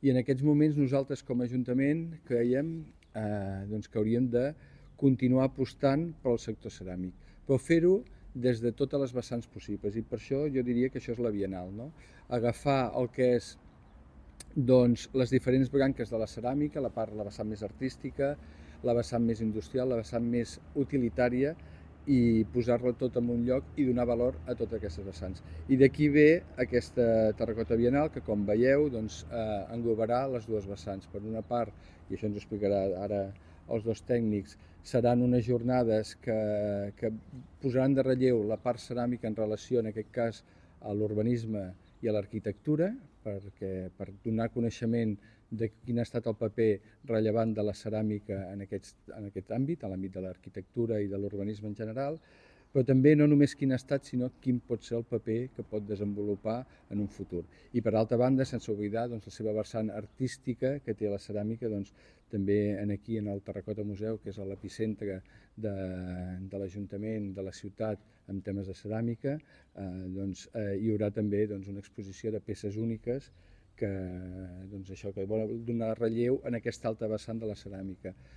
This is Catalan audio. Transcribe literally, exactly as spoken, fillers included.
I en aquests moments nosaltres com a Ajuntament creiem eh, doncs que hauríem de continuar apostant pel sector ceràmic, però fer-ho des de totes les vessants possibles, i per això jo diria que això és la Bienal, no? Agafar el que és doncs, les diferents branques de la ceràmica, la part, la vessant més artística, la vessant més industrial, la vessant més utilitària, i posar-la tot en un lloc i donar valor a totes aquestes vessants. I d'aquí ve aquesta Terracota Bienal que, com veieu, doncs, eh, englobarà les dues vessants. Per una part, i això ens ho explicarà ara els dos tècnics, seran unes jornades que, que posaran de relleu la part ceràmica en relació, en aquest cas, a l'urbanisme i a l'arquitectura, perquè per donar coneixement de quin ha estat el paper rellevant de la ceràmica en aquest, en aquest àmbit, en l'àmbit de l'arquitectura i de l'urbanisme en general, però també no només quin ha estat, sinó quin pot ser el paper que pot desenvolupar en un futur. I per altra banda, sense oblidar doncs, la seva vessant artística que té la ceràmica, doncs, també en aquí en el Terracota Museu, que és l'epicentre de, de l'Ajuntament, de la ciutat, en temes de ceràmica, eh, doncs, eh, hi haurà també doncs, una exposició de peces úniques que, doncs, això, que vol donar relleu en aquesta alta vessant de la ceràmica.